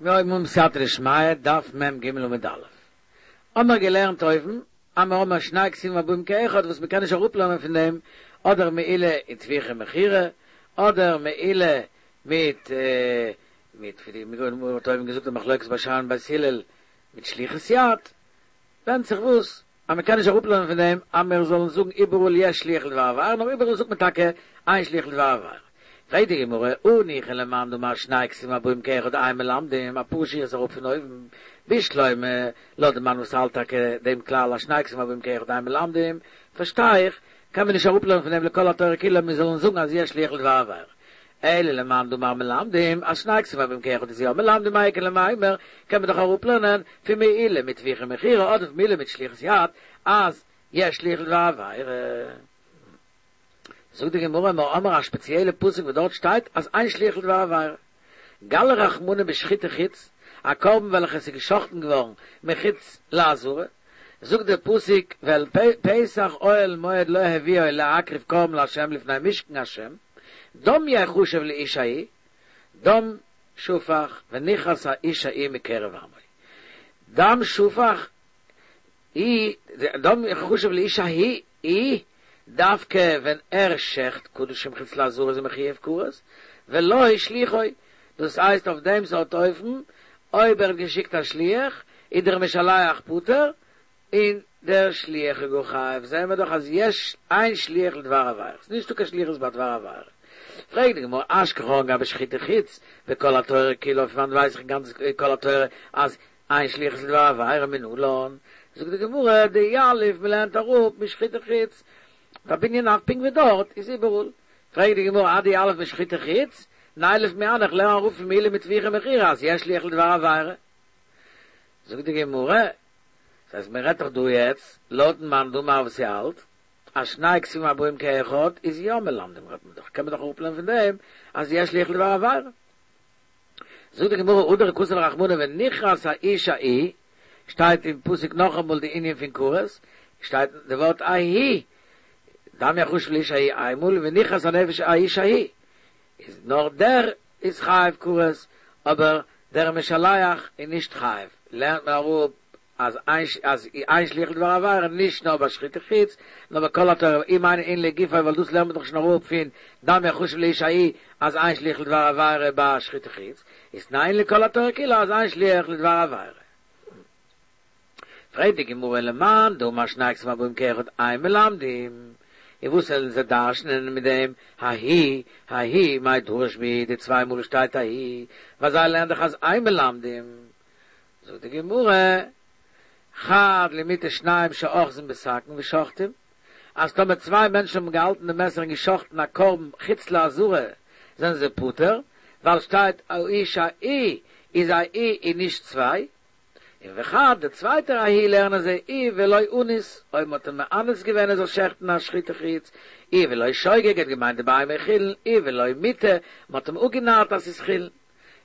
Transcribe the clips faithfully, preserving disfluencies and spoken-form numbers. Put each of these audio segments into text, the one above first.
מיר הויבן אן בסייעתא דשמיא, דף מ ג עמוד א'. האמער געלערנט אויבן, אז מיר האבן א שני כתובים הבאים כאחד וואס מ'קען נישט אראפלערנען פון דעם, אדער מעילה און טביחה ומכירה, אדער מעילה מיט מיט ווי די גמרא האט אויבן געזאגט די מחלוקת בית שמאי און בית הלל מיט שליחות יד, ווענדט זיך וואס, אז מ'קען נישט אראפלערנען פון דעם אז מיר זאלן זאגן איבעראל יש שליח לדבר עבירה, נאר איבעראל זאגט מען טאקע אין שליח לדבר עבירה. פרעגט די גמרא, הניחא למאן דאמר שני כתובים הבאים כאחד אין מלמדים, אפאר שורות אראפ פון אויבן, בשלמא, לויט די מאן וואס האלט טאקע דעם כלל אז שני כתובים הבאים כאחד אין מלמדים, פארשטיי איך, קען מען נישט אראפלערנען פון דעם לכל התורה כולה מיר זאלן זאגן אז יש שליח לדבר עבירה. אלא למאן דאמר מלמדים, אז שני כתובים הבאים כאחד איז יא מלמדים מאי איכא למימר, קען מען דאך אראפלערנען פון מעילה מיט טביחה ומכירה אדער פון מעילה מיט שליחות יד אז יש שליח לדבר עבירה. זאגט די גמרא מיר האמער א שפעציעלע פסוק וואס דארט שטייט אז אין שליח לדבר עבירה. גלי רחמנא בשחיטה חוץ, א קרבן וועלכע עס איז געשחטן געווארן מחוץ לעזרה, זאגט דער פסוק ואל פתח אוהל מועד לא הביאו להקריב קרבן לה' לפני משכן ה', דם יחשב לאיש ההוא, דם שפך ונכרת האיש ההוא מקרב עמו. דם שפך אי, דם יחשב לאיש ההוא אי, דווקא ווען ער שעכט קדשים חוץ לעזרה איז ער מחויב כרת, ולא שליחו, דאס הייסט אויף דעם סארט אופן, אויב ער האט געשיקט א שליח, איז דער משלח פטור, און דער שליח איז גאר חייב, זעהן מיר דאך אז יש אין שליח לדבר עבירה, ס'איז נישטא קיין שליחות ביי דבר עבירה. פרעגט די גמרא, אשכחן גבי שחיטה חוץ, בכל התורה כולה, פון וואנעט ווייס איך אין גאנץ כל התורה אז אין שליחות לדבר עבירה מנלן? זאגט די גמרא, דיליף מ'לערנט אראפ משחיטה חוץ, בבנין אב פונקט ווי דארט איז איבעראל. פרעגט די גמרא, אדיליף משחיטה חוץ, נילף מהנך לערן אראפ פון מעילה מיט טביחה ומכירה אז יש שליח לדבר עבירה. זאגט די גמרא, דאס הייסט מען רעדט דאך דא יעצט לויטן מאן דאמר וואס ס'האלט אז שני כתובים הבאים כאחד איז יא מלמדים רעדט מען דאך קען מען דאך אראפלערנען פון דעם אז יש שליח לדבר עבירה. זאגט די גמרא הדר כתב רחמנא ונכרת האיש ההוא, שטייט אין פסוק נאכאמאל די ענין פון כרת, שטייט די ווארט ההוא, דם יחשב לאיש ההוא איינמאל ונכרת הנפש האיש ההוא, איז נאר דער איז חייב כרת, אבער דער משלח איז נישט חייב, לערנט מען אראפ אז אז אין שליח לדבר עבירה נישט נאר ביי שחיטה חוץ, נאר בכל התורה, אם אין אין לגופו ווייל דאס לערנט מען דאך שוין אראפ פון דם יחשב לאיש ההוא אז אין שליח לדבר עבירה ביי שחיטה חוץ, איז תנן לכל התורה כולה אז אין שליח לדבר עבירה. פרעגט די גמרא למאן דאמר שני כתובים הבאים כאחד אין מלמדים, און וואס וועלן זיי דרש'נען מיט דעם ההוא ההוא מאי דריש בהו די צוויי מאל שטייט ההוא ווייל זיי לערנען דאך אז אין מלמדים, זאגט די גמרא חד למעוטי שניים שאוחזין בסכין ושוחטין, אז טאמער צוויי מענטשן האבן געהאלטן די מעסער און געשחטן א קרבן חוץ לעזרה זענען זיי פטור, ווייל שטייט האיש ההוא איז ההוא און נישט צוויי, און וחד די צווייטער ההוא לערנען זיי אי ולא אנוס, אויב מ'האט אים מאנס געווען ער זאל שעכטן א שחיטה חוץ, אי ולא שוגג ער האט געמיינט די בהמה איז חולין, אי ולא מוטעה, מ'האט אים אפגענארט אז ס'איז חולין.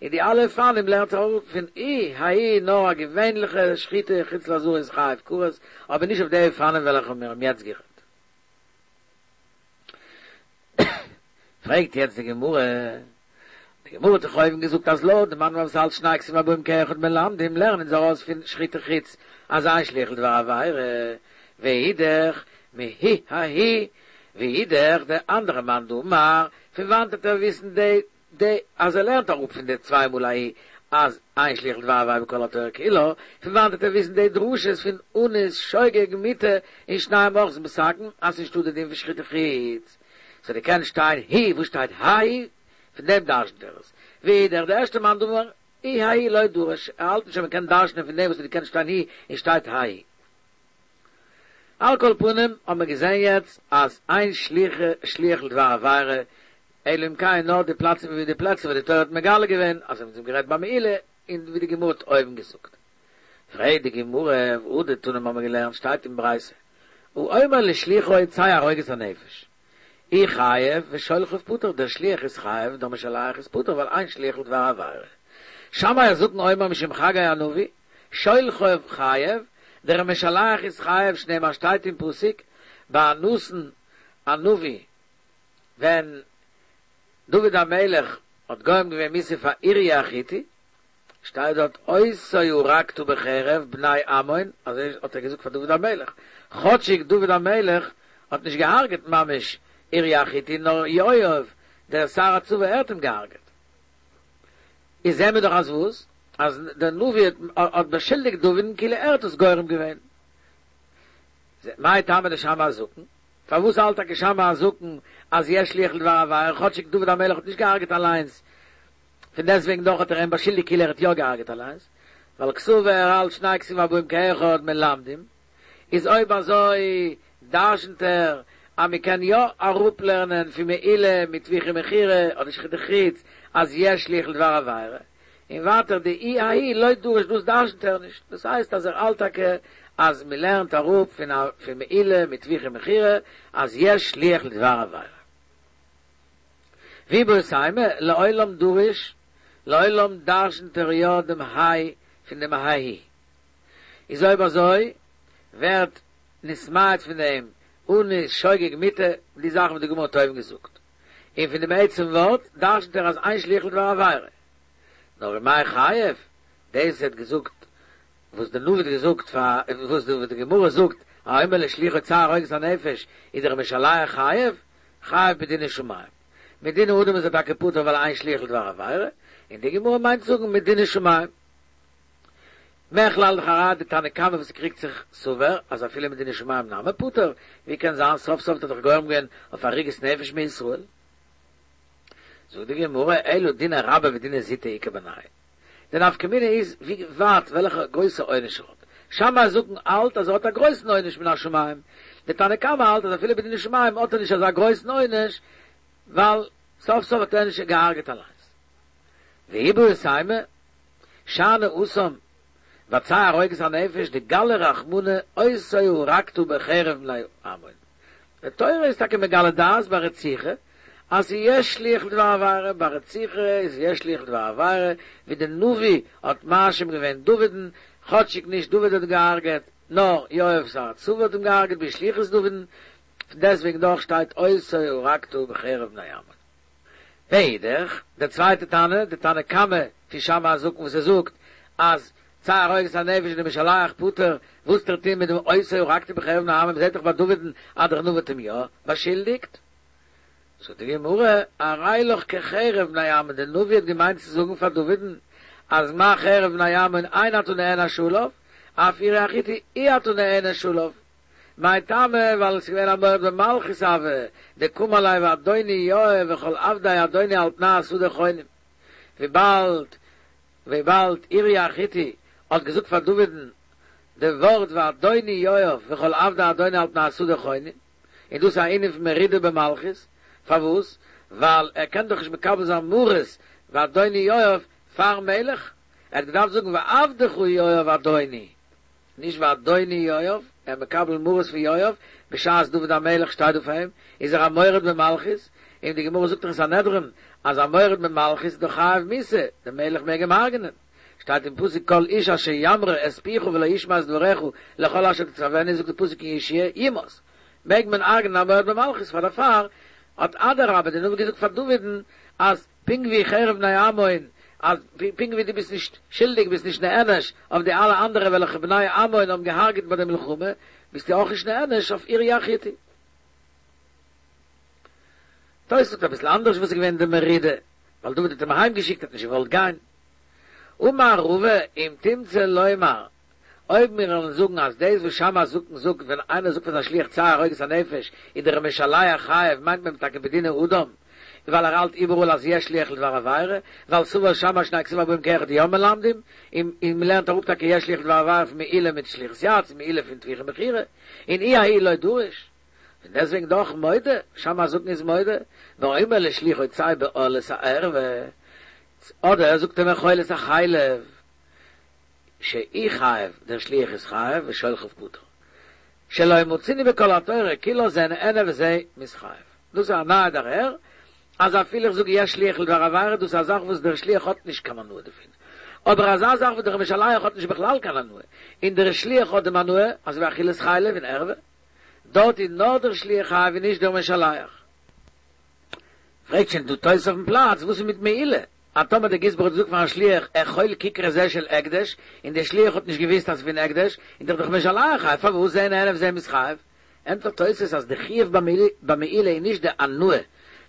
און די אלע אופנים לערנט זיך אראפ פון אי ההוא נאר א געווענליכע שחיטה חוץ לעזרה איז חייב כרת, אבער נישט אויף די אופנים וועלכע מיר האבן יעצט גערעדט. פרעגט יעצט די גמרא, די גמרא האט דאך אויבן געזאגט אז לויט די מאן וואס האלט שני כתובים הבאים כאחד מלמדים לערנען זיי ארויס פון שחיטה חוץ אז אין שליח לדבר עבירה, ואידך מהאי ההוא, ואידך דער אנדערע מאן דאמר, פון וואנט וועט ער וויסן די די אז ער לערנט אראפ פון די צוויי מאל ההוא אז אין שליח לדבר עבירה בכל התורה כולה, פון וואנט וועט ער וויסן די דרשות פון אנוס שוגג מוטעה און שניים אוחזין בסכין אז ס'נישטא די דין פון שחיטה חוץ, סאו די קען שטיין הוא וואס שטייט ההוא פון דעם דרשנט ער עס, ואידך די ערשטע מאן דאמר אי ההוא לא דריש ער האלט נישט אז מ'קען דרשנען פון דעם וואס ס'קען שטיין הוא און שטייט ההוא. על כל פנים האט מען געזען יעצט אז אין שליח שליח לדבר עבירה אלא אם כן נאר די פלאצן ווי די פלעצער וואס די תורה האט מגלה געווען אזוי ווי מיר האבן גערעדט ביי מעילה און ווי די גמרא האט אויבן געזאגט. פרעגט די גמרא, והא דתנא האבן מיר געלערנט שטייט אין ברייתא, האומר לשליחו צא הרוג את הנפש, הוא חייב ושולחיו פטור, דער שליח איז חייב און דער משלח איז פטור ווייל אין שליח לדבר עבירה. שמאי הזקן אומר משום חגי הנביא, שולחיו חייב, דער משלח איז חייב שנאמר שטייט אין פסוק ביי נתן הנביא ווען דוד המלך האט גורם געווען מיתה פאר אוריה החתי, שטייט דארט אותו הרגת בחרב בני עמון, אזוי האט ער געזאגט פאר דוד המלך, כאטשיג דוד המלך האט נישט געהארגעט ממש אוריה החתי נאר יואב דער שר הצבא ער האט אים געהארגעט. איז זעהן מיר דאך אז וואס? אז דער נביא האט באשולדיגט דוד'ן כאילו ער האט עס גורם געווען. מאי טעמא דשמאי הזקן? פארוואס האלט טאקע שמאי הזקן אז יש שליח לדבר עבירה, כאטשיג דוד המלך האט נישט געהארגעט אליינס, פון דעסטוועגן דאך האט ער אים באשולדיגט כאילו ער האט יא געהארגעט אליינס, ווייל קסבר ער האלט שני כתובים הבאים כאחד מלמדים, איז אויב אזוי דרשנ'ט ער אז מען קען יא אראפלערנען פון מעילה מיט טביחה מכירה אדער שחיטת חוץ אז יש שליח לדבר עבירה, און ווייטער דאי ההיא לא דריש דאס דרשנ'ט ער נישט, דאס הייסט אז ער האלט טאקע אז מען לערנט אראפ פון פון מעילה מיט טביחה מכירה אז יש שליח לדבר עבירה. ואיבעית אימא, לעולם דריש, לעולם דרשנ'ט ער יא דעם האי פון דעם ההיא. איז אויב אזוי ווערט נתמעט פון דעם אנוס שוגג מיתה, די זאכן וואס די גמרא האט אויבן געזאגט. און פון דעם עצם ווארט דרשנ'ט ער אז אין שליח לדבר עבירה. נאר ומאי חייב, דאס האט געזאגט וואס די נביא האט געזאגט פאר וואס די גמרא זאגט האומר לשליחו צא הרוג את הנפש איז דער משלח חייב, חייב בדיני שמים. מדיני אדם איז ער טאקע פטור ווייל אין שליח לדבר עבירה, און די גמרא מיינט זאגן מדיני שמים. מכלל לכאורה די תנא קמא וואס קריגט זיך סבר אז אפילו מדיני שמים נמי פטור, ווי קען זיין סוף סוף האט ער דאך גורם געווען אויף הריגת נפש מישראל. זאגט די גמרא אלא דינא רבה ודינא זוטא איכא בינייהו. די נפקא מינה איז ווי ווייט וועלכע גרויסע עונש ער האט. שמאי הזקן האלט אז ער האט א גרויסן עונש מן השמים, די תנא קמא האלט אז אפילו בדיני שמים האט ער נישט אזא גרויסן עונש ווייל סוף סוף האט ער נישט געהארגעט אליינס. ואיבעית אימא, שאני התם ביי צא הרוג את הנפש דגלי רחמנא אותו הרגת בחרב בני עמון. די תורה איז טאקע מגלה דעת ביי רציחה אז ס'איז יש שליח לדבר עבירה, ביי רציחה איז יש שליח לדבר עבירה, ווי די נביא האט מאשים געווען דוד'ן, כאטשיג נישט דוד האט געהארגעט, נאר יואב שר הצבא האט אים געהארגעט בשליחות דוד'ן, פון דעסטוועגן דאך שטייט אותו הרגת בחרב בני עמון. ואידך, די צווייטע תנא, די תנא קמא פון שמאי הזקן וואס ער זאגט אז צא הרוג את הנפש איז די משלח פטור, וואס וועט ער טוהן מיט דעם אותו הרגת בחרב בני עמון, מ'זעט דאך ביי דוד'ן אז דער נביא האט אים יא באשולדיגט. זאגט די גמרא, הרי לך כחרב בני עמון, די נביא האט געמיינט צו זאגן פאר דוד'ן אז מה חרב בני עמון אין אתה נענש עליו, אף אוריה החתי אי אתה נענש עליו. מאי טעמא, ווייל עס איז געווען א מורד במלכות הוה, דקאמר ליה ואדוני יואב וכל עבדי אדוני על פני השדה חונים. וויבאלד וויבאלד אוריה החתי האט געזאגט פאר דוד'ן די ווארט ואדוני יואב וכל עבדי אדוני על פני השדה חונים, און דאס איז א ענין פון מרידה במלכות, פארוואס? ווייל ער קען דאך נישט מקבל זיין מרות ואדוני יואב פארן מלך, ער האט געדארפט זאגן ועבדך יואב אדוני, נישט ואדוני יואב, ער איז מקבל מרות פון יואב, בשעת דוד המלך שטייט דא פאר אים, איז ער א מורד במלכות, און די גמרא זאגט דאך אין סנהדרין אז א מורד במלכות איז דאך חייב מיתה, דער מלך מעג אים הרג'נען, שטייט אין פסוק כל איש אשר ימרה את פיך ולא ישמע את דבריך לכל אשר תצוונו זאגט די פסוק אין יהושע יומת, מעג מען הרג'נען א מורד במלכות, פאר דערפאר האט אדרבה די נביא געזאגט פאר דוד'ן אז פונקט ווי חרב בני עמון, אז פונקט ווי דו ביסט נישט שולדיג, ביסט נישט נענש אויף די אלע אנדערע וועלכע בני עמון האבן געהארגעט ביי די מלחמה, ביסטו אויך נישט נענש אויף אוריה החתי. תוס' זאגט אביסל אנדערש וואס איז געווען די מרידה, ווייל דוד האט אים אהיים געשיקט, ער האט נישט געוואלט גיין. אמר רבא, אם תמצא לומר, אויב מיר וועלן זאגן אז דאס וואס שמאי הזקן זאגט ווען איינער זאגט פאר זיין שליח צא הרוג את הנפש איז דער משלח חייב מיינט מען טאקע בדיני אדם ווייל ער האלט איבעראל אז יש שליח לדבר עבירה ווייל סבר שמאי שני כתובים הבאים כאחד יא מלמדים און און מ'לערנט אראפ טאקע יש שליח לדבר עבירה פון מעילה מיט שליחות יד און מעילה פון טביחה מכירה און אי ההיא לא דריש און דעסוועגן דאך מודה שמאי הזקן איז מודה באומר לשליחו צא בערלת הערווה אדער זאגט ער מאכול את החלב שהוא חייב, דער שליח איז חייב ושולחיו פטור. שלא מצינו בכל התורה כולה זה נהנה וזה מתחייב. דאס איז א נייע דערהער, אז אפילו איך זאג יש שליח לדבר עבירה, דאס איז א זאך וואס דער שליח האט נישט קיין הנאה דערפון. אבער אזא זאך וואס דער משלח האט נישט בכלל קיין הנאה, און דער שליח האט דעם הנאה, אזוי ווי אכילת חלב און ערווה, דארט איז נאר דער שליח חייב און נישט דער משלח. פרעגט שוין דא תוס' אויפן פלאץ, וואס איז מיט מעילה? אז טאמער דער גזבר האט געזאגט פארן שליח אכול ככר זה של הקדש, און דער שליח האט נישט געוויסט אז ס'איז פון הקדש, איז דאך דער משלח חייב, פארוואס זה נהנה וזה מתחייב? ענטפערט תוס' אז די חיוב ביי מעילה איז נישט די הנאה,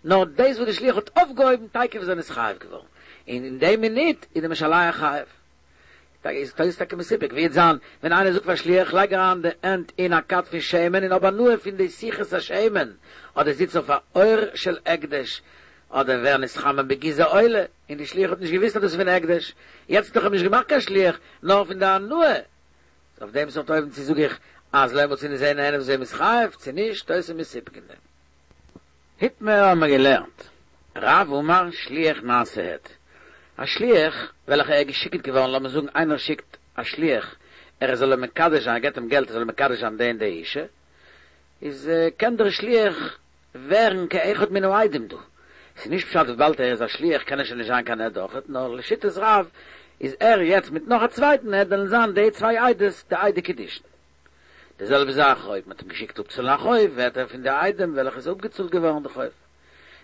נאר דאס וואס די שליח האט אויפגעהויבן תיכף איז ער נתחייב געווארן, און אין די מינוט איז די משלח חייב. איז תוס' טאקע מסופק, ווי וועט זיין ווען איינער זאגט פאר שליח לייג אריין די הענט אין א כד פון שמן און האב הנאה פון די סיכות השמן, אדער זיץ אויף א עור של הקדש, אדער ווער נתחמם בגיזה עולה, און די שליח האט נישט געוויסט אז דאס איז פון הקדש, יעצט האט דאך אים נישט געמאכט קיין שליח, נאר פון די הנאה. אויף דעם סארט אופן צו זאג איך אז לא מצינו זה נהנה וזה מתחייב, צו נישט, תוס' מסופק אין דעם. איתמר האבן מיר געלערנט, רב אמר שליח נעשה עד, א שליח וועלכער איז געשיקט געווארן, לאמיר זאגן איינער שיקט א שליח ער זאל אים מקדש זיין, ער געבט אים געלט ער זאל אים מקדש זיין די און די אישה, איז קען דער שליח ווערן כאחד מן העדים דא, ס'איז נישט פשט וויבאלד ער איז א שליח קען ער שוין נישט זיין קיין עד אויכעט, נאר לשיטת רב איז ער יעצט מיט נאך א צווייטן עד וועלן זיין די צוויי עדות די עדי קידושין. די זעלבע זאך אויב מ'האט אים געשיקט אפצאלן א חוב ווערט ער פון די עדים וועלכע איז אפגעצאלט געווארן די חוב.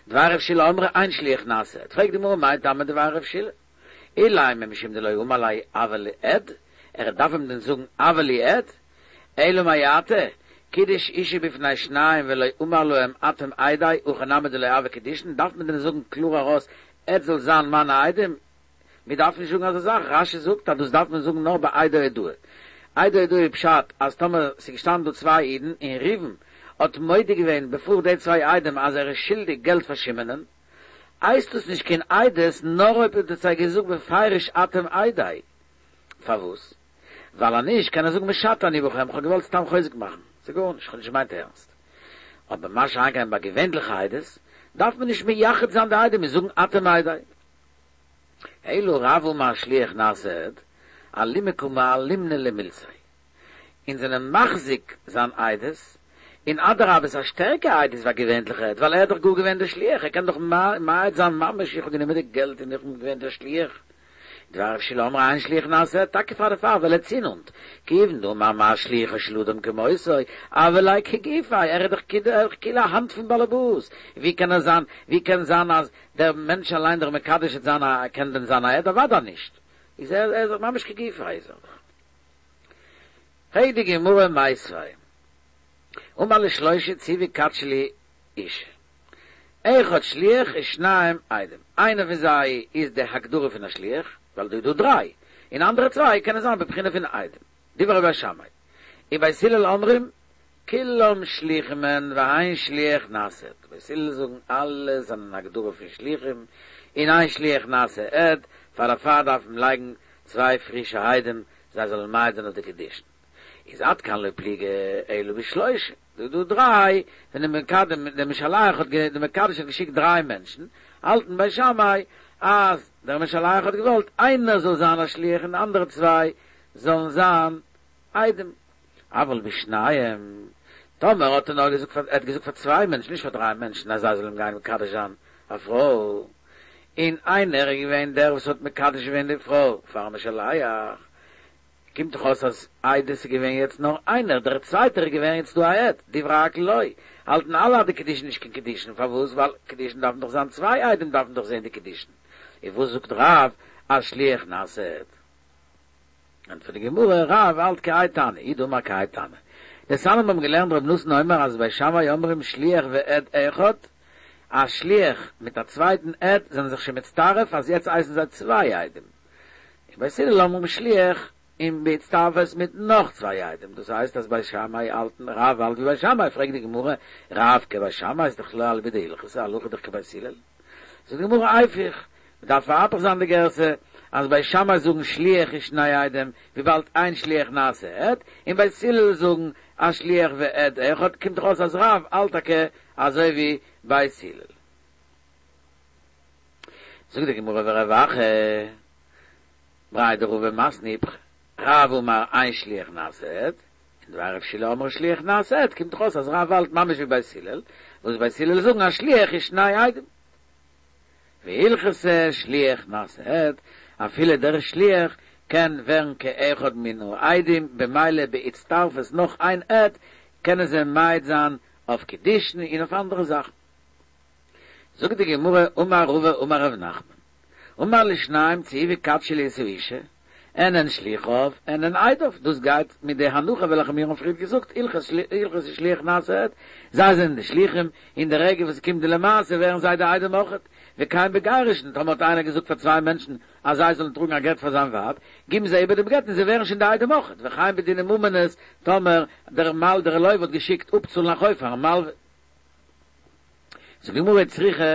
דבי רב שילא אמרי אין שליח נעשה עד, פרעגט די גמרא מאי טעמא דבי רב שילא? אילימא משום דלא אמר ליה הוי לי עד, ער דארף אים דען זאגן הוי לי עד? אלא מעתה, קידש אישה בפני שניים ולא אמר להם אתם עדי, הכי נמי דלא הוו קידושין, דארף מען דען זאגן קלאר ארויס עטס זאלט זיין מיינע עדים? מען דארף נישט זאגן אזא זאך, רש"י זאגט אז דאס דארף מען זאגן נאר ביי עדי הודאה. עדי הודאה איז פשט אז טאמער ס'איז געשטאנען דא צוויי אידן און ראובן האט מודה געווען בעפאר די צוויי עדים אז ער איז שולדיג געלט פאר שמעונ'ען, הייסט דאס נישט קיין עדות נאר אויב האט ער זיי געזאגט בפירוש אתם עדי. פארוואס? ווייל אז נישט קען ער זאגן משוטה אני בכם, כ'האב געוואלט סתם חוזק מאכן, ס'איז גארנישט, כ'האב נישט געמיינט ערנסט. אבער מה שאין כן ביי געווענליכע עדות, דארף מען נישט מייחד זיין די עדים און זאגן אתם עדי. אלא רב אמר שליח נעשה עד, אלומי קא מעלימנא ליה מילתיה. אונז זענען מחזיק זיין עדות, און אדרבה ס'איז א שטערקער עדות ווי א געווענליכע עד, ווייל ער איז דאך גאר געווען דער שליח, ער קען דאך מעיד זיין ממש איך האב גענומען די געלט און איך בין געווען דער שליח. דבי רב שילא אמרי אין שליח נעשה עד, טאקע פאר דערפאר ווייל ער איז צו נאנט, כיוון דאמר מר שלוחו של אדם כמותו, הוה ליה כגופיה, ער איז דאך כאילו א האנט פון באלעבאס, ווי קען ער זיין, ווי קען זיין אז דער מענטש אליין דער מקדש וועט זיין א, קען דען זיין א עד? אוודאי נישט, איז ער איז דאך ממש כגופיה איז ער דאך. פרעגט די גמרא מיתיבי, אמר לשלושה צאו וקדשו לי אישה, אחד שליח ושניים עדים, איינער פון זיי איז די הגדרה פון א שליח, ווייל דא איז דא דריי, און אנדערע צוויי קענען זיין בבחינה פון עדים, דברי בית שמאי, ובית הלל אומרים, כולם שלוחים הן ואין שליח נעשה עד, בית הלל זאגן אלע זענען הגדרה פון שלוחים, און אין שליח נעשה עד, פאר דערפאר דארף מען לייגן צוויי פרישע עדים זיי זאלן מעיד זיין אויף די קידושין. איז עד כאן לא פליגי אלא בשלושה, דא איז דא דריי, ווען די מקדם די משלח האט די מקדש האט געשיקט דריי מענטשן, האלטן בית שמאי אז דער משלח האט געוואלט איינער זאל זיין א שליח און די אנדערע צוויי זאלן זיין עדים. אבל בשניים, טאמער האט ער נאר געזאגט פאר, ער האט געזאגט פאר צוויי מענטשן, נישט פאר דריי מענטשן, אז זיי זאלן אים גיין מקדש זיין א פרוי, און איינער איז געווען דער וואס האט מקדש געווען די פרוי פארן משלח, קומט דאך אויס אז עדות איז געווען יעצט נאר איינער, דער צווייטער איז געווען יעצט דא א עד, דברי הכל לא, האלטן אלע אז די קידושין נישט קיין קידושין, פארוואס? ווייל קידושין דארפן דאך זיין צוויי עדים דארפן דאך זען די קידושין, און וואס זאגט רב אז שליח נעשה עד? ענטפערט די גמרא, רב האלט כהאי תנא, הוא דאמר כהאי תנא. דתניא מיר האבן געלערנט רבי נתן אומר אז בית שמאי אומרים שליח ועד אחד, א שליח מיט א צווייטן עד זענען זיך שוין מצטרף אז יעצט הייסן זיי צוויי עדים. און בית הלל אומרים שליח און בהצטרפות מיט נאך צוויי עדים, דאס הייסט אז בית שמאי האלטן, רב האלט ווי בית שמאי, פרעגט די גמרא, רב כבית שמאי איז דאך לא אליבא דהלכתא, הלכה איז דאך כבית הלל. זאגט די גמרא איפוך, מ'דארף מהפך זיין די גירסא אז בית שמאי זאגן שליח ושני עדים וויבאלד אין שליח נעשה עד, און בית הלל זאגן א שליח ועד אחד, קומט דאך אויס אז רב האלט טאקע אזוי ווי בית הלל. זאגט די גמרא ורב אחא בריה דרבא מתני איפכא, רב אמר אין שליח נעשה עד, און דבי רב שילא אמרי שליח נעשה עד, קומט דאך אויס אז רב האלט ממש ווי בית הלל, וואס בית הלל זאגן א שליח ושני עדים. והלכתא שליח נעשה עד, אפילו דער שליח קען ווערן כאחד מן העדים, במילא בהצטרפות נאך איין עד קענען זיי מעיד זיין אויף קידושין און אויף אנדערע זאכן. זאגט די גמרא אמר רבא אמר רב נחמן, אמר לשניים צאו וקדשו לי את האשה, הן הן שליחיו, הן הן עדיו, דאס גייט מיט די הנחה וועלכע מיר האבן פריער געזאגט, הלכתא שליח נעשה עד, זיי זענען די שליחים, אין די רגע וואס עס קומט די למעשה ווערן זיי די עדים אויכעט, וכן בגירושין, טאמער האט איינער געזאגט פאר צוויי מענטשן אז זיי זאלן טראגן א גט פאר זיין ווייב, גיבן זיי איבער דעם גט און זיי ווערן שוין די עדים אויכעט, וכן בדיני ממונות, טאמער דער מל דער לוה האט געשיקט אפצאלן א חוב פארן מלווה. זאגט די גמרא צריכא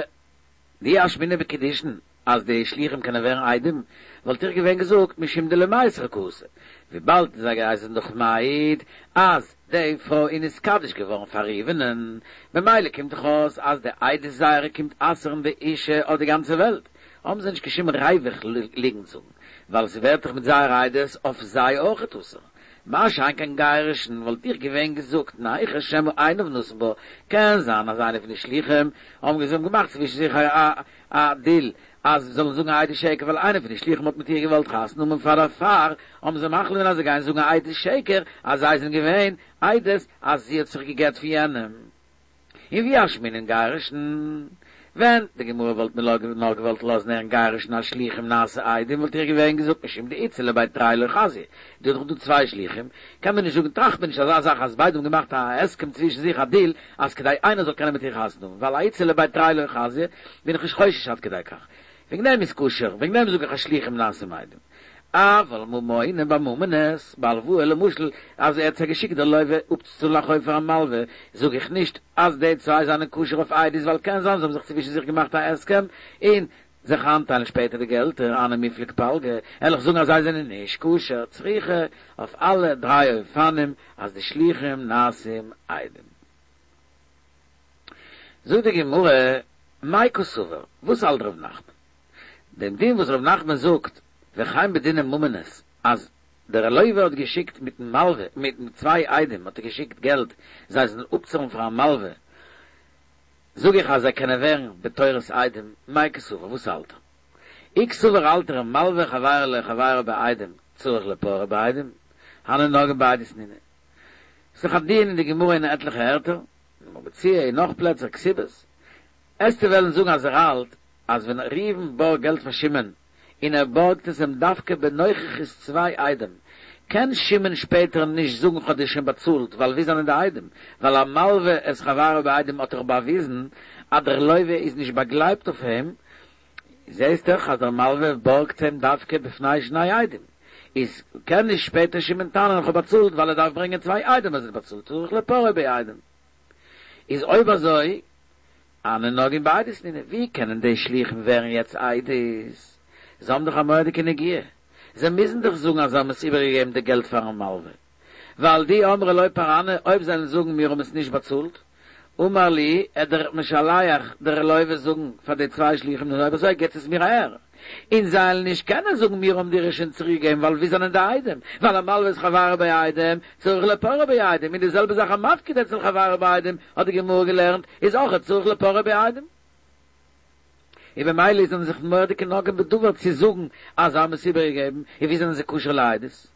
דאי אשמעינן בקידושין אז די שליחים קענען ווערן עדים, וואלט איך געווען געזאגט משום דלמיסר קאתי, וויבאלד זיי זענען דאך מעיד אז די פרוי איז נתקדש געווארן פאר ראובנ'ן, ממילא קומט דאך אויס אז די עדות זייערע קומט אסר'ן די אישה אויף די גאנצע וועלט, האבן זיי נישט קיין שום ריווח ליגנט זאגן, ווייל ס'ווערט דאך מיט זייער עדות אויף זיי אויכעט אסור. מה שאין כן גירושין וואלט איך געווען געזאגט ניחא שמא עיניו נתן בה, קען זיין אז איינער פון די שליחים האבן געזאגט געמאכט צווישן זיך א א דיל אז זיי זאלן זאגן א עדות שקר ווייל איינער פון די שליחים האט מיט איר געוואלט חתונה האבן פאר דערפאר האבן זיי מחליט געווען אז זיי גייען זאגן א עדות שקר אז זיי זענען געווען עדות אז זי האט זיך געגט פון יענעם. און ואי אשמעינן גירושין? ווען די גמרא וואלט מיר נאר געוואלט לאזן הערן גירושין אז שליחים נעשה עדים וואלט איך געווען געזאגט משום דאיתתא לבי תרי לא חזיא, דא איז דאך דא צוויי שליחים, קען מען נישט זאגן טראכט מען נישט אזא זאך אז ביידע האבן געמאכט א הסכם צווישן זיך א דיל אז כדי איינער זאל קענען מיט איר חתונה האבן ווייל אאיתתא לבי תרי לא חזיא בין איך נישט חושש עד כדי כך וועגן דעם איז כשר וועגן דעם זאג איך אז שליחים נעשים עדים. אבל ממונא ביי ממונות, בהלוואה למשל, אז ער האט זיי געשיקט דער לוה אפצוצאלן א חוב פארן מלווה, זאג איך נישט אז די צוויי זענען כשר אויף עדות ווייל קען זיין זיי האבן זיך צווישן זיך געמאכט א הסכם און זיך איינטיילן שפעטער די געלטער, הני מיפלג פלגי, וועל איך זאגן אז זיי זענען נישט כשר, צריכא אויף אלע דריי אופנים אז די שליחים נעשים עדים. זאגט די גמרא, מאי קסבר, וואס האלט ר' נחמן? דעם דין וואס ר' נחמן זאגט וכן בדיני ממונות אז דער לוה האט געשיקט מיטן מלווה מיט צוויי עדים האט ער געשיקט געלט זיי זאלן אפצאלן פארן מלווה זאג איך אז זיי קענען ווערן בתורת עדים מאי קסבר וואס האלט ער? אי קסבר האלט ער המלווה חברו לחברו בעדים צריך לפורעו בעדים הני נוגעין בעדות נינהו ס'איז דאך א דיון אין די גמרא אין עטליכע ערטער אין בבא מציעא און נאך פלעצער כתובות עסטו וועלן זאגן אז ער האלט אז ווען ראובן בארגט געלט פאר שמעון און ער בארגט עס אים דווקא בנוכחות צוויי עדים, קען שמעון שפעטער נישט זאגן כ'האב דיר שוין באצאלט ווייל ווי זענען די עדים? ווייל המלווה את חברו בעדים האט דאך באוויזן אז דער לוה איז נישט באגלייבט אויף אים, זעסט דאך אז דער מלווה בארגט אים דווקא בפני שני עדים, איז קען נישט שפעטער שמעון טענה'ן כ'האב באצאלט ווייל ער דארף ברענגען צוויי עדים אז ער האט באצאלט צריך לפורעו בעדים. איז אויב אזוי הני נוגעין בעדות נינהו, ווי קענען די שליחים ווערן יעצט עדות? זיי האבן דאך א מורא'דיגע נגיעה, זיי מוזן דאך זאגן אז זיי האבן עס איבערגעגעבן די געלט פארן מלווה, ווייל דאי אמרי לא פרענא, אויב זיי וועלן זאגן מיר האבן עס נישט באצאלט, אמר להו, עט דער משלח דער לוה זאגן פאר די צוויי שליחים נו אויב אזוי געבטס עס מיר אהער, און זיי וועלן נישט קענען זאגן מיר האבן דיר עס שוין צוריק געגעבן ווייל ווי זענען די עדים? ווייל המלווה את חברו בעדים צריך לפורעו בעדים און די זעלבע זאך המפקיד אצל חברו בעדים האט די גמרא געלערנט איז אויך צריך לפורעו בעדים און במילא זענען זיך מורא'דיגע נוגעים בדבר צו זאגן אז זיי האבן עס איבערגעגעבן און ווי זענען זיי כשר לעדות?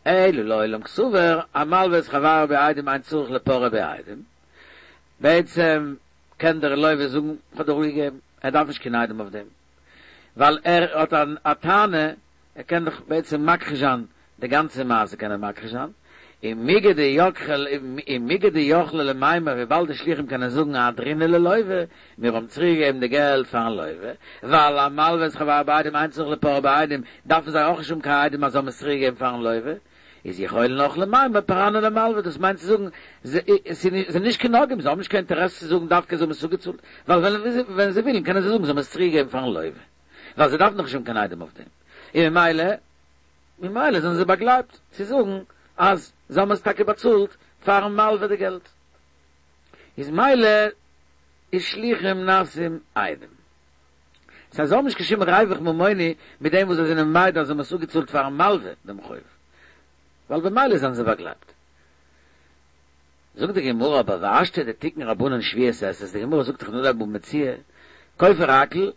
אלא לעולם קסבר המלווה את חברו בעדים אין צריך לפורעו בעדים בעצם קען דער לוה זאגן כ'האב דיר אפגעגעבן ער דארף נישט קיין עדים אויף דעם. ווייל ער האט א טענה, ער קען דאך בעצם מכחיש זיין די גאנצע מעשה קען ער מכחיש זיין, און מיגו און מיגו דיכלי למימר וויבאלד די שליחים קענען זאגן אהדרינהו ללוה, מיר האבן צוריק געגעבן די געלט פארן לוה, ווייל המלווה את חברו בעדים אין צריך לפורעו בעדים, דארפן זיי אויך נישט האבן קיין עדים אז זיי האבן עס צוריק געגעבן פארן לוה, איז יכולין אויך למימר פרענא למלווה, דאס מיינט צו זאגן, זיי זענען נישט קיין נוגעים, זיי האבן נישט קיין אינטערעס צו זאגן דווקא זיי האבן עס צוגעצאלט, ווייל ווען זיי ווילן קענען זיי זאגן זיי האבן עס צוריקגעגעבן פארן לוה, ווייל זיי דארפן דאך נישט האבן קיין עדים אויף דעם, און ממילא ממילא זענען זיי באגלייבט צו זאגן אז זיי האבן עס טאקע באצאלט פארן מלווה די געלט, איז מילא איז שליחים נעשים עדים. סא זיי האבן נישט קיין שום ריווח ממוני מיט דעם וואס זיי זענען מעיד אז זיי האבן עס אפגעצאלט פארן מלווה דעם חוב, ווייל במילא זענען זיי באגלייבט. זאגט די גמרא אבער והשתא דתיקון רבנן שבועת עשה, די גמרא זאגט דאך אין בבא מציעא, כופר הכל,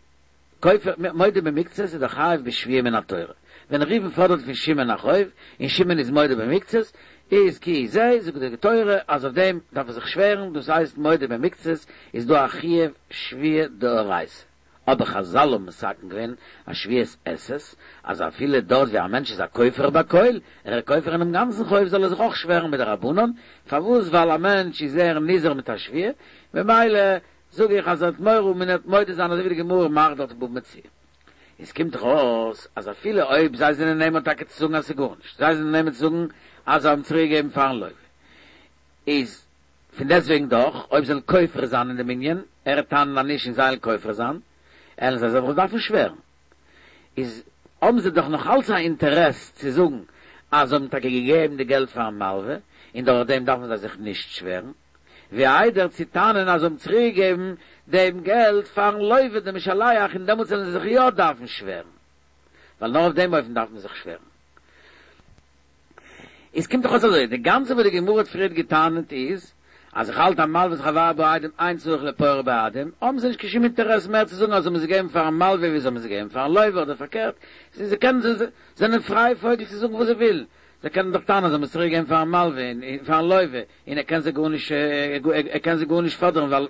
כופר, מודה במקצת איז דאך חייב בשבועה מן התורה, ווען ראובן פאדערט פון שמעון א חוב, און שמעון איז מודה במקצת, איז כי זה, זאגט די תורה אז אויף דעם דארף ער זיך שווערן, דאס הייסט מודה במקצת איז דא א חיוב שבועה דאורייתא. אבער חזל האבן מתקן געווען א שבועת עשה, אז אפילו דארט ווי א מענטש איז א כופר בכל, ער איז כופר אינעם גאנצן חוב, זאל ער זיך אויך שווערן מדרבנן, פארוואס ווייל א מענטש איז זייער נזהר מיט א שבועה, ממילא זאג איך אז ער האט מורא און מען וועט מודה זיין אזוי ווי די גמרא מאכט דארט בבא מציעא. עס קומט דאך אויס אז אפילו אויב זיי זענען נאמן טאקע צו זאגן אז ס'איז גארנישט, זיי זענען נאמן צו זאגן אז זיי האבן צוריק געגעבן פארן לווה, איז פון דעסטוועגן דאך אויב זיי וועלן כופר זיין אין דעם ענין, ער וועט טענה'ן אז נישט און זיי וועלן כופר זיין, עלן זיי זיך דאך דארפן שווערן. איז האבן זיי דאך נאך אלץ א אינטערעס צו זאגן אז זיי האבן טאקע געגעבן די געלט פארן מלווה, און דורך דעם דארפן זיי זיך נישט שווערן, ווי איידער צו טענה'ן אז זיי האבן צוריקגעגעבן דעם געלט פארן לווה דעם משלח און דעמאלטס וועלן זיי זיך יא דארפן שווערן, ווייל נאר אויף דעם אופן דארף מען זיך שווערן. עס קומט דאך אויס אזוי, די גאנצע וואס די גמרא האט פריערט געטענה'ט איז, אז איך האלט אז מלוות חברו בעדים אין צריך לפורע בעדים, האבן זיי נישט קיין שום אינטערעס מער צו זאגן אז זיי האבן עס געגעבן פארן מלווה ווי זיי האבן עס געגעבן פארן לווה אדער פארקערט, זיי קענען זיי זענען פריי פויגל צו זאגן וואס זיי ווילן, זיי קענען דאך טענה'ן אז זיי האבן עס צוריק געגעבן פארן מלווה און פארן לווה און ער קען זיי גארנישט ער קען זיי גארנישט פאדערן ווייל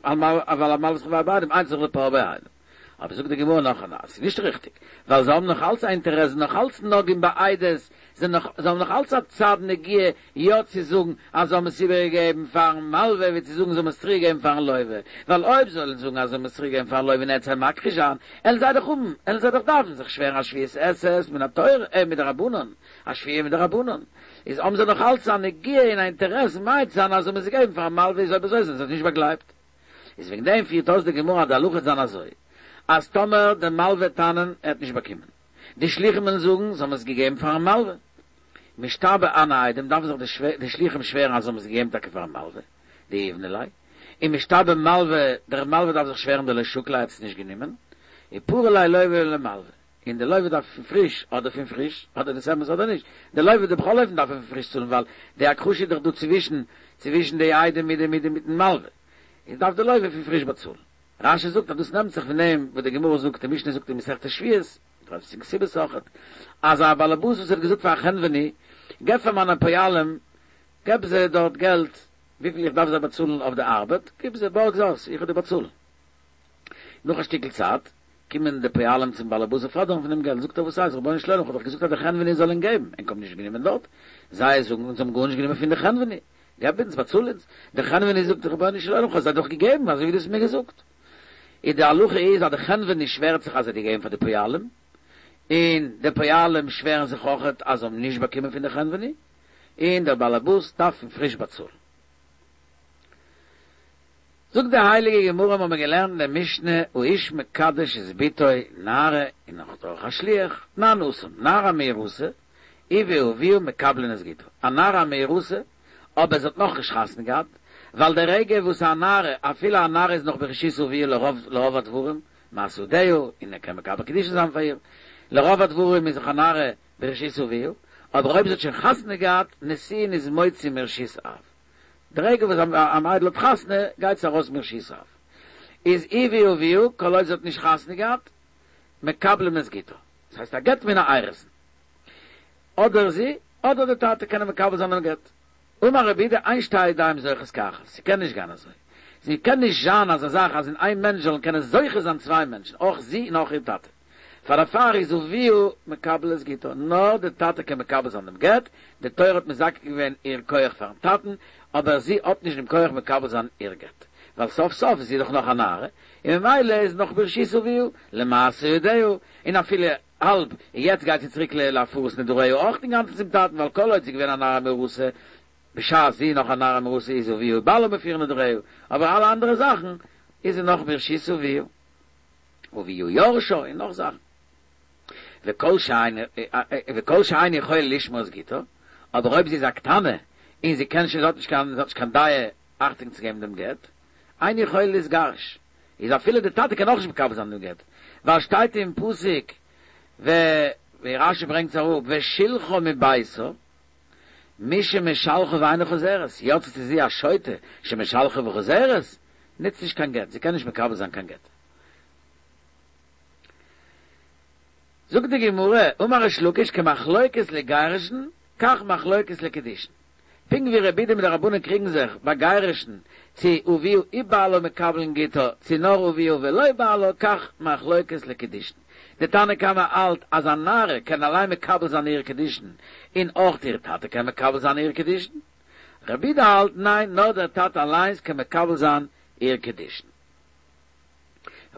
ווייל מלוות חברו בעדים אין צריך לפורע בעדים. אבער זאגט די גמרא נאכאמאל אז ס'איז נישט ריכטיג, ווייל זיי האבן נאך אלץ א אינטערעס, זיי נאך אלץ נוגעים בעדות, זיי נאך זיי האבן נאך אלץ א צד נגיעה יא צו זאגן אז זיי האבן עס איבערגעגעבן פארן מלווה ווי צו זאגן זיי האבן עס צוריק געגעבן פארן לווה, ווייל אויב זאלן זאגן אז זיי האבן עס צוריק געגעבן פארן לווה און ער וועט זיי מכחיש זיין, עלן זיי דאך האבן, עלן זיי דאך דארפן זיך שווערן א שבועת עשה מן התורה, אה, מדרבנן, א שבועה מדרבנן, איז האבן זיי נאך אלץ א נגיעה און א אינטערעס מעיד זיין אז זיי האבן עס געגעבן פארן מלווה איז אויב אזוי זענען זיי נישט באגלייבט. איז וועגן דעם פירט אויס די גמרא אז די הלכה וועט זיין אזוי, אז טאמער דער מלווה וועט טענה'ן ער האט נישט באקומען, די שליחים וועלן זאגן זיי האבן עס געגעבן פארן מלווה, משתבעי הני עדים דארפן זיך די שליחים שווערן אז זיי האבן עס געגעבן טאקע פארן מלווה, דאיבני ליה, און משתבע מלווה, דער מלווה דארף זיך שווערן דלא שקל ליה ער האט עס נישט גענומען, ופרע ליה לווה למלווה, און דער לווה דארף פון פריש, אדער פון פריש, אדער דאס אמת אדער נישט, דער לווה דער בכל אופן דארף ער פון פריש צאלן ווייל די הכחשה איז דאך דא צווישן צווישן די עדים מיט די מיט מיטן מלווה, איז דארף דער לווה פון פריש באצאלן. רש"י זאגט אז דאס נעמט זיך פון דעם וואס די גמרא זאגט, די משנה זאגט אין מסכת שבועות, דרייסיג כתובות אויכעט, אז א באלעבאס וואס האט געזאגט פאר א חנווני, געב פאר מיינע פועלים, געב זיי דארט געלט וויפיל איך דארף זיי באצאלן אויף די ארבעט, גיב זיי, בארג זיי אויס, איך וועל דיר באצאלן. נאך א שטיקל צייט, קומען די פועלים צום באלעבאס און פאדערן פון אים געלט, זאגט ער, וואס הייסט, רבונו של עולם, איך האב דאך געזאגט אז דער חנווני זאל ענק געבן, ענק האבן נישט גענומען דארט, זיי זאגן, אונז האבן גארנישט גענומען פון די חנווני, געב אונז, באצאל אונז. דער חנווני זאגט, רבונו של עולם, כ'האב זיי דאך געגעבן, אזוי ווי דו האסט מיר געזאגט. איז די הלכה איז אז דער חנווני שווערט זיך אז ער האט געגעבן פאר די פועלים, און די פועלים שווערן זיך אויכעט אז זיי האבן נישט באקומען פון די חנווני, און דער באלעבאס דארף פון פריש באצאלן. זאגט די הייליגע גמרא, מ'האמיר געלערנט אין די משנה, האיש מקדש את בתו נערה און נאך דורך א שליח, תנן התם, נערה המאורסה, היא ואביה מקבלין את גיטה, א נערה המאורסה, אבער זי האט נאכנישט חתונה געהאט, ווייל די רגע וואס א נערה, אפילו א נערה איז נאך ברשות אביה לרוב לרוב הדברים, מעשה ידיה, און ער קען מקבל קידושין זיין פאר איר, לרוב הדברים איז זיך א נערה ברשות אביה, אבער אויב זי האט שוין חתונה געהאט, נישואין איז מוציא מרשות אב. די רגע וואס א מיידל האט חתונה, גייט זי ארויס מרשות אב. איז היא ואביה, כל עוד זי האט נישט חתונה געהאט, מקבלים את גיטה. דאס הייסט א גט מן האירוסין. אדער זי, אדער די טאטע קענען מקבל זיין דעם גט. אמר רב יהודה אין שתי ידיים זוכות כאחת, ס'קען נישט גיין אזוי. ס'קען נישט זיין אזא זאך אז אין איין מענטש זאלן קענען זוכה זיין צוויי מענטשן, אויך זי און אויך איר טאטע. פאר דערפאר איז אביה מקבל את גיטה, נאר די טאטע קען מקבל זיין דעם גט, די תורה האט מזכה געווען איר כח פארן טאטן, אבער זי האט נישט דעם כח מקבל זיין איר גט, ווייל סוף סוף איז זי דאך נאך א נערה, און ממילא איז נאך ברשות אביה, למעשה ידיה, און אפילו האלב, און יעצט גייט זי צוריק להפרת נדריה אויך אינגאנצן צום טאטן, ווייל כל עוד זי איז געווען א נערה מאורסה, בשעת זי איז נאך א נערה מאורסה איז אביה בעלה מפר נדריה, אבער אלע אנדערע זאכן איז זי נאך ברשות אביה. אביה יורשה און נאך זאכן. וכל שאין וכל שאינה יכולה לשמור את גיטה, אבער אויב זי איז א קטנה און זי קען שוין זי האט נישט קיין זי האט נישט קיין דעה אכטונג צו געבן דעם גט, אינה יכולה להתגרש, איז אפילו די טאטע קען אויך נישט מקבל זיין דעם גט, ווייל שטייט אין פסוק ו ווי רשי ברענגט עס אראפ ושלחה מביתה, מי שמשלחה ואינה חוזרת, יצתה זו א שוטה שמשלחה וחוזרת, נוצט נישט קיין גט, זי קען נישט מקבל זיין קיין גט. זאגט די גמרא, אמר ריש לקיש כמחלוקת לגירושין, כך מחלוקת לקידושין. פונקט ווי רבי יהודה מיט די רבנן קריגן זיך ביי גירושין צו אביה ובעלה מקבלין גיטה צו נאר אביה ולא בעלה כך מחלוקת לקידושין. די תנא קמא האלט אז א נערה קען אליין מקבל זיין איר קידושין און אויך איר טאטע קען מקבל זיין איר קידושין. רבי יהודה האלט ניין נאר דער טאטע אליינס קען מקבל זיין איר קידושין.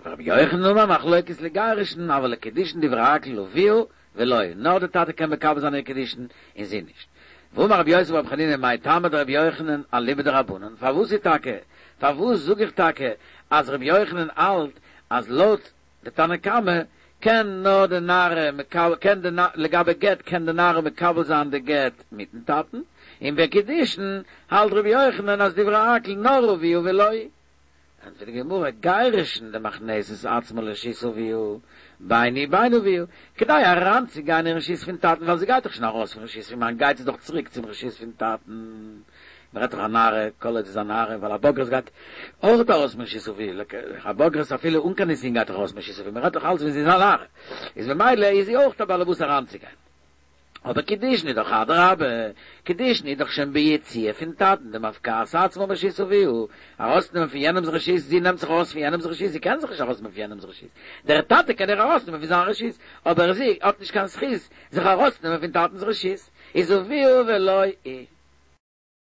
רבי יוחנן אמר מחלוקת לגירושין אבל לקידושין דברי הכל אביה ולא היא נאר די טאטע קען מקבל זיין איר קידושין און זי נישט. ואמר רבי יוסי ברבי חנינא מאי טעמא דרבי יוחנן אליבא דרבנן פארוואס איז טאקע פארוואס זאג איך טאקע אז רבי יוחנן האלט אז לויט די תנא קמא קען נאר די נערה מקבל קען די לגבי גט קען די נערה מקבל זיין די גט מיטן טאטן און ביי קידושין האלט רבי יוחנן אז דברי הכל נאר אביה ולא היא. ענטפערט די גמרא, גירושין דמכנסת עצמה לרשות אביה, ביני ובין אביה, כדי אריינצוגיין אין רשות פון טאטן, ווייל זי גייט דאך שוין ארויס פון רשות פון מאן, גייט זי דאך צוריק צום רשות פון טאטן, מען רעדט דאך א נערה, כל עוד זי איז א נערה, ווייל א בוגרת גייט אויך ארויס מרשות אביה, א בוגרת אפילו אן קיין נישואין גייט דאך ארויס מרשות אביה, מען רעדט דאך אלץ ווען זי איז א נערה, איז ממילא איז זי אויך א בעלעבאס אריינצוגיין. אבער קידושין איז דאך אדרבה, קידושין איז דאך שוין ביציאה פון טאטן דמפקעת עצמה מרשות אביה, ארויסנעמען פון יענעמס רשות, זי נעמט זיך ארויס פון יענעמס רשות, זי קען זיך נישט ארויסנעמען פון יענעמס רשות, דער טאטע קען איר ארויסנעמען פון זיין רשות, אבער זי האט נישט קיין זכות זיך ארויסנעמען פון טאטנס רשות, איז אביה ולא היא.